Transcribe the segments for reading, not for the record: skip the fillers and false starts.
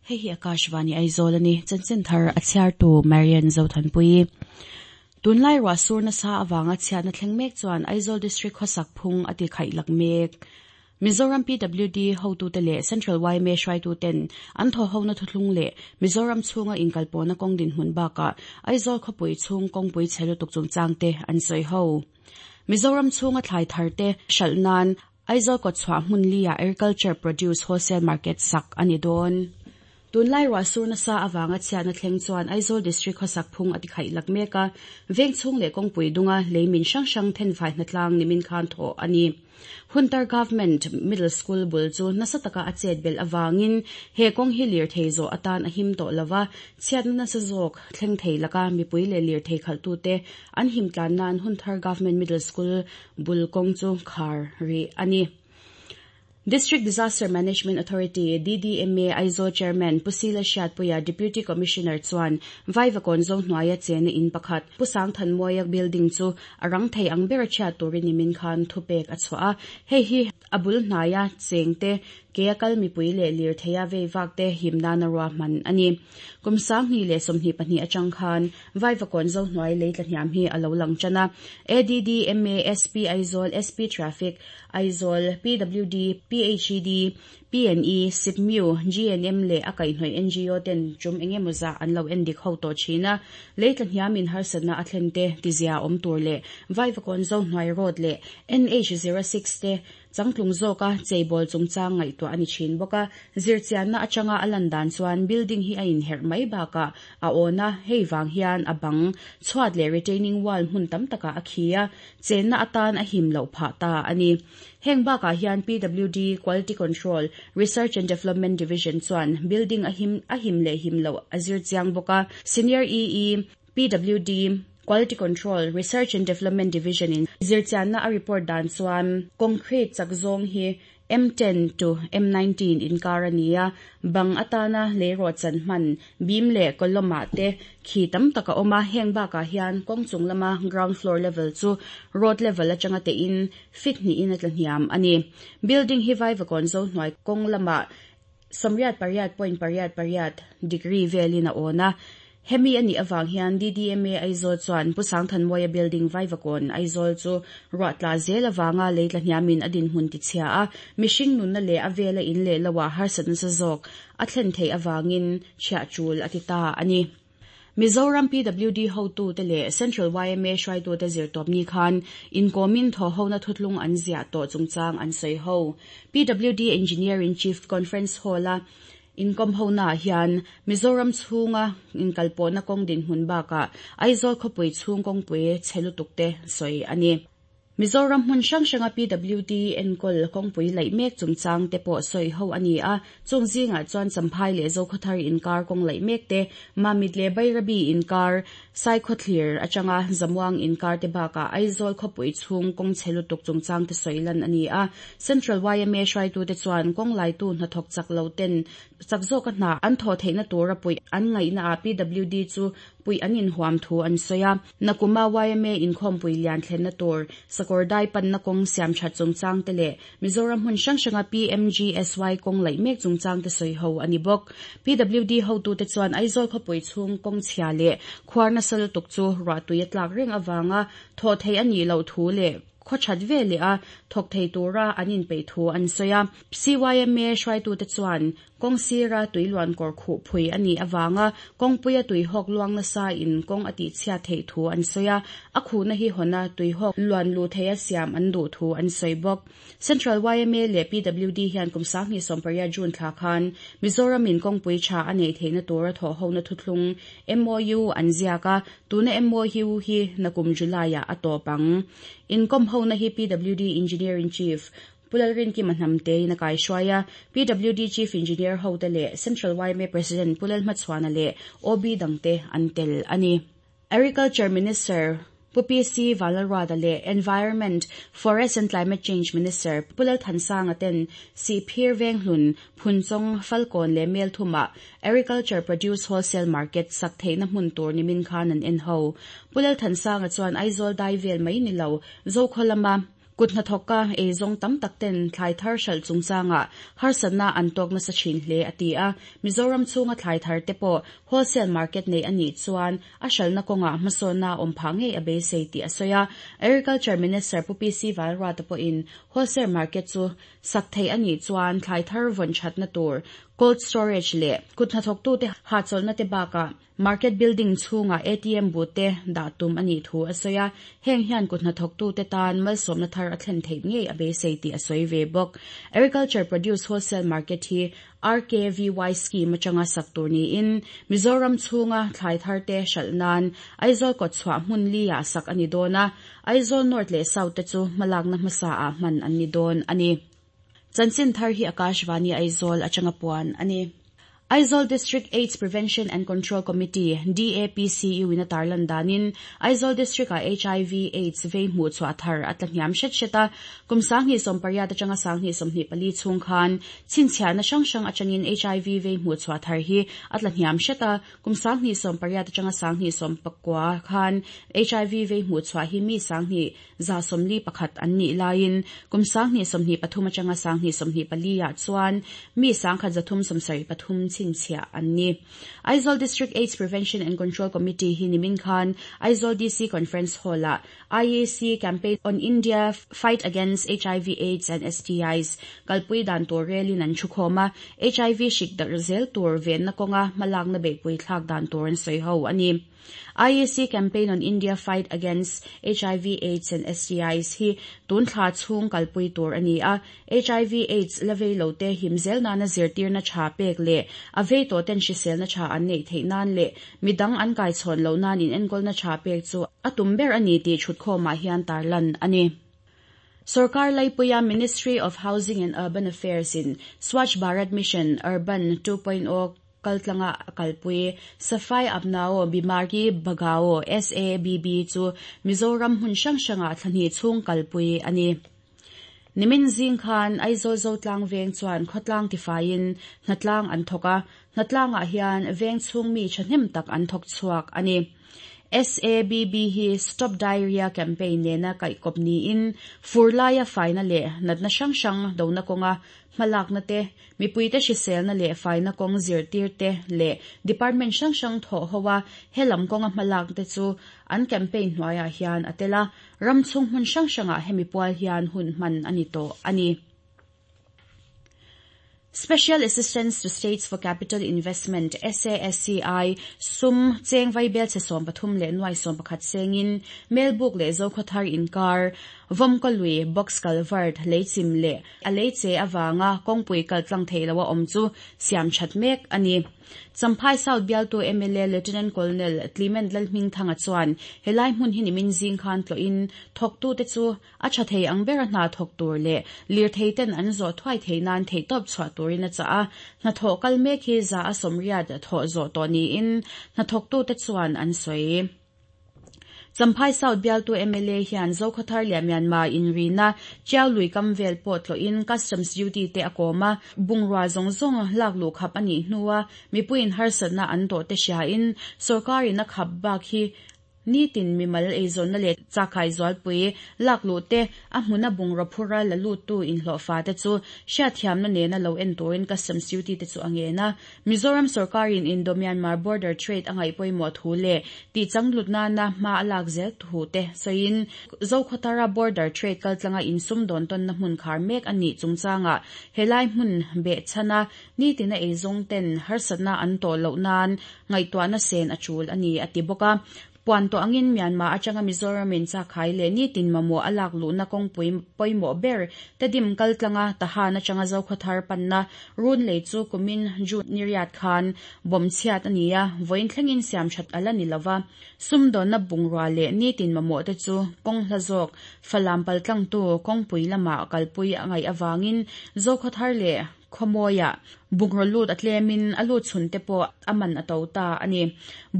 Hei hi Akashvani Aizawl a ni. Chanchin thar a chhiartu Marian Zothanpuii. Tunlai ruah sur nasa avanga chhiatna thleng mek chuan Aizawl District khawsak phung a ti khaih lak mek. Mizoram PWD hotute leh Central yma hruaituten an thawhhona thuthlung leh Mizoram chhunga inkalpawhna kawng dinhmun bakah Aizawl khawpui chhung kawngpui chhe lutuk chungchangte an sawi ho. Mizoram chhunga thlai tharte hralh nan Aizawl kawtchhuah hmun li-ah Agriculture Produce Wholesale Market sak a ni dawn. Tunlai ruah sur nasa avanga chhiatna thleng chuan Aizawl District khawsak phung a tikhaih lak mek a, veng chhung leh kawngpui dunga lei min hrang hrang thenfai hnatlang nimin khan thawh a ni. Hunter Government Middle School bul chu nasa taka a chet belh avangin he kawng hi lirthei zawh atan a him tawh lo va, chhiatna nasa zawk thleng thei laka mipui leh lirthei khalhtute an him tlan nan Hunthar Government Middle School bul kawng chu khar rih a ni. District Disaster Management Authority, DDMA, Aizawl Chairman Pu Sila Hriatpuia Deputy Commissioner chuan Vaivakawn zo hnuaia chena in pakhat Pu Sangthanmawia building chu a rang thei ang bera chhiat turin nimin khan thupek a chhuah a. Hei hi a bul hnaia chengte Kea kal mipui leh lirtheia vei vak te him nana ruahman a ni. Kum 2024 atang khan Vaivakawn Zohnuai lei tlahniam hi a lo lang tan a. ADD, ma, SP Aizawl, SP Traffic, Aizawl, PWD, PHED, PNE, SIPMIU, GNM leh a kaihhnawih ngo ten tum eng emaw zah an lo endik ho tawh thin a. Lei tlahniam in harsatna a thlen te tizia awm tur leh Vaivakawn Zohnuai Road leh NH 06 te Changtlung zawka cheibawl chungchang ngaihtuah a ni thin bawk a, zirchianna atanga a lan dan chuan building hi a inherh mai bakah a awn a, hei vang hian a bang, chhuat leh retaining wall hmun tam takah a khi a, chenna atan a him loh phah ta a ni. Heng bakah hian PWD, Quality Control, Research and Development Division chuan building a him a him leh him loh a zir chiang bawk a, Senior EE, PWD, Quality Control, Research and Development Division in zirchianna a report dan chuan concrete chak zawng hi M10 to M19 inkar a ni a, bang atana leirawh chan hman, beam leh column ah te khi tam tak a awm a, heng bakah hian kawng chung lama ground floor level chu road level atanga tein feet hnihin a tla hniam a ni. Building hi Vaivakawn zo hnuai kawng lamah 88.88 degree velin a awn a. Hemi a nih avang hian DDMA Aizawl chuan Pu Sangthanmawia Building Vaivakawn Aizawl chu ruah tla zel avanga lei tla hniamin a dinhmun tichhia a, mihring nunna leh a vela in leh loah harsatna sa zawk a thlen theih avangin chhiah tul a ti ta a ni. Mizoram PWD hotute leh Central yma hruaitute zirtawpni khan inkawmin thawhhona thutlung an ziah tawh chungchang an sawi ho. PWD Engineer-in-Chief Conference Hall-a inkawm honaah hian Mizoram chhunga inkalpawhna kawng dinhmun bakah Aizawl khawpui chhung kawngpui chhe lutukte sawi a ni. Mizoram hmun hrang hranga PWD enkawl kawngpui laih mek chungchang te pawh sawi ho a ni a, chung zingah chuan Champhai leh Zokhawthar inkar kawng laih mek te, Mamit leh Bairabi inkar, Saikhawthlir atanga Zamuang inkar te bakah Aizawl khawpui chhung kawng chhe lutuk chungchang te sawi lan a ni a. Central yma hruaitute chuan kawng laitu hnathawk chak lo ten chak zawka hna an thawh theihna tura puih an ngaihnaah PWD chu puih an inhuam thu an sawi a. Nakuma yma inkhawmpui lian thlenna tur, sakawr dai panna kawng siam that chungchang te leh Mizoram hmun hrang hranga PMGSY kawng laih mek chungchang te sawi ho a ni bawk. PWD hotute chuan Aizawl khawpui chhung kawng chhia leh khuar nasa lutuk chu ruahtui a tlak reng avanga thawh theih a nih loh thu leh khaw that ve leh a thawk thei tura an inpeih thu an sawi a. CYMA hruaitute chuan Kawng sira tui luan kawr khuh phui a nih avanga kawngpuia tuihawk luang nasa in kawng a tihchhiat theih thu an sawi a, a khuhna hi hawna tuihawk luan luh theia siam an duh thu an sawi bawk. Central yma leh PWD hian kum 2018 June thla khan Mizoram in kawngpui tha a neih theihna tura thawhhona thuthlung MOU an ziak a, tuna MOU hi nakum July-ah a tawp ang. Inkawmhona hi PWD Engineer-in-Chief Pu Lalrinkima Hnamtein a kaihruai a, PWD Chief Engineer hote leh Central yma President Pu Lalhmachhuana leh OB dangte an tel a ni. Agriculture Minister Pu PC Vanlalruata leh Environment, Forest and Climate Change Minister Pu Lalthansanga ten Sihphir Venghlun, Phunchawng, Falkawn leh Melthumah Agriculture Produce Wholesale Market sak theihna hmun tur nimin khan an en ho. Pu Lalthansanga chuan Aizawl dai vel mai ni lo, Zokhaw lama. Kut hnathawka eizawng tam tak ten thlai thar hralh chungchangah harsatna an tawk nasa thin hle a ti a. Mizoram chhunga thlai thar te pawh wholesale market neih a nih chuan a hralhna kawngah hmasawnna a awm phah ngei a beisei tih a sawi a. Agriculture Minister Pu PC Valruata pawhin wholesale market chu sak theih a nih chuan thlai thar vawn thatna tur cold storage leh kut hnathawktute hahchawlhna te bakah Market building chhungah ATM booth te dah tum a nih thu a sawi a, heng hian kut hnathawktute tan malsawmna thar a thlen theih ngei a beisei tih a sawi ve bawk. Agriculture Produce Wholesale Market hi RKVY scheme atanga sak tur niin Mizoram chhunga thlai thar te hralh nan Aizawl kawtchhuah hmun li ah sak a ni dawn a, Aizawl North leh South te chu hmalakna hmasa ah hman an ni dawn a ni. Chanchin thar hi Akashvani Aizawl atanga puan a ni. Aizawl District Aids Prevention and Control Committee, DAPCU, in a tarlan danin Aizawl District-ah hiv Aids vei hmuh chhuah thar a tla hniam hret hret a. Kum 2018 atanga 2024 chhung khan chhinchhiahna hrang hrang atangin hiv vei hmuh chhuah thar hi a tla hniam hret a. Kum 2018 atanga 2019 khan hiv vei hmuh chhuah hi mi 2141 an nih laiin kum 2023 atanga 2024 ah chuan mi 1373 chhinchhiah an ni. Aizawl District Aids Prevention and Control Committee hi nimin khan Aizawl DC Conference Hall-ah IAC Campaign on India Fight Against hiv Aids and STIs kalpui dan tur relin an thukhawm a, hiv hrik darh zel tur venna kawnga hmalakna beihpui thlak dan tur an sawi ho a ni. IAC Campaign on India Fight Against hiv Aids and STIs hi tun thla chhung kalpui tur a ni a, hiv Aids la vei lo te him zel nana zirtirna tha pek leh a vei tawh ten hriselna tha an neih theih nan leh midang an kai chhawn loh nan inenkawlna tha pek chu a tum ber a ni tih thutkhawmah hian tarlan a ni. Sarkar Laipuia Ministry of Housing and Urban Affairs in Swachh Bharat Mission Urban 2.0 kaltlanga a kalpui Safai Apnao Bimari Bhagao, SABB, chu Mizoram hmun hrang hrangah thla hnih chhung kalpui a ni. Nimin zing khan Aizawl Zotlang veng chuan khawtlang tifaiin hnatlang an thawk a, hnatlangah hian veng chhung mi thahnem tak an thawk chhuak a ni. SABB hi Stop Diarrhea Campaign nena kaihkawp niin fur laia faina leh natna hrang hrang dona kawnga hmalakna te, mipuite hriselna leh faina kawng zirtir te leh department hrang hrang thawh ho a helam kawnga hmalak te chu an campaign hnuaiah hian a tel a, ram chhung hmun hrang hrangah hemi pual hian hun hman a ni tawh a ni. Special Assistance to States for Capital Investment, SASCI, sum cheng vaibel chhe 13 leh nuai 11 sengin Melbuk leh Zokhawthar inkar Vawmkaw lui box culvert leichim leh a leiche awanga kawngpui kaltlang thei loa awm chu siam that mek a ni. Champhai South bialtu MLA Lieutenant Colonel Clement Lalhmingthanga chuan helai hmun hi nimin zing khan tloin thawktu te chu a tha thei ang ber a hna thawk tur leh lirthei ten an zawh thuai thei nan thei tawp chhuah turin a chah a, hnathawh kal mek hi 80% thawh zawh tawh niin hnathawktu te chuan an sawi. Champhai South bialtu MLA hian Zokhawthar leh Myanmar inrina Tiau lui kam vel pawh tloin customs duty te a kawm a, bungrua zawng zawng lak luh khap a nih hnuah mipuiin harsatna an tawh te hriain sorkarin a khap bak hi nitin mimal eizawnna leh chakai zualpui lak luh te a hmuna bungraw phura la lut tu inhlawhfa te chu hriatthiamna nena lo en turin customs duty te chu a ngen a. Mizoram sorkarin Indo Myanmar border trade a ngaih pawimawh thu leh tih changlut nana hma a lak zel thu te sawiin Zokhawthara border trade kaltlanga insum dawn tawnna hmun khar mek a nih chungchangah helai hmun behchhana nitina eizawng ten harsatna an tawh loh nan ngaihtuahna sen a tul a ni a ti bawk a. Puan tawh angin Myanmar atanga Mizoramin chakai leh nitin mamawh a lak luhna kawngpui pawimawh ber Tedim kaltlanga Tahan atanga Zokhawthar panna run lei chu kumin June ni riat khan bawm chhiat a ni a, vawiin thlengin siam that ala ni lova. Sumdawnna bungrua leh nitin mamawh te chu kawng hla zawk Falam paltlangtu kawngpui lamah kalpui a ngaih awangin Zokhawthar leh khawmawiah bungraw lut a tlemin a lut chhun te pawh a man a to ta a ni.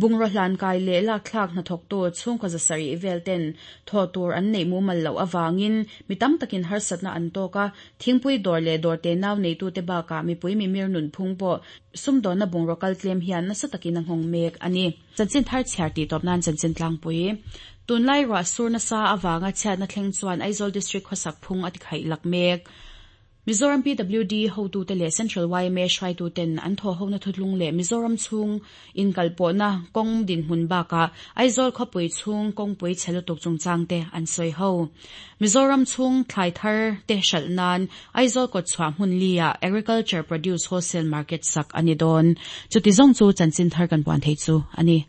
Bungraw hlan kai leh lak thlak hnathawktu chhungkaw 700 vel ten thaw tur an neih mumal loh awangin mi tam takin harsatna an tawk a, thingpui dawr leh dawr te nau neitu te bakah mipui mimir nun phung pawh sumdawnna bungraw kal tlem hian nasa takin a nghawng mek a ni. Chanchin thar chhiar tih tawp nan chanchin tlangpui. Tunlai ruah sur nasa avanga chhiatna thleng chuan Aizawl District khawsak phung a tikhaihlak mek. Mizoram PWD hotute leh Central yma hruaituten an thawhhona thutlung leh Mizoram chhung inkalpawhna kawng dinhmun bakah Aizawl khawpui chhung kawngpui chhe lutuk chungchangte an sawi ho. Mizoram chhung thlai thar te hralh nan Aizawl kawtchhuah hmun li-ah Agriculture Produce Wholesale Market sak a ni dawn. Chuti zawng chu chanchin thar kan puan theih chu a ni.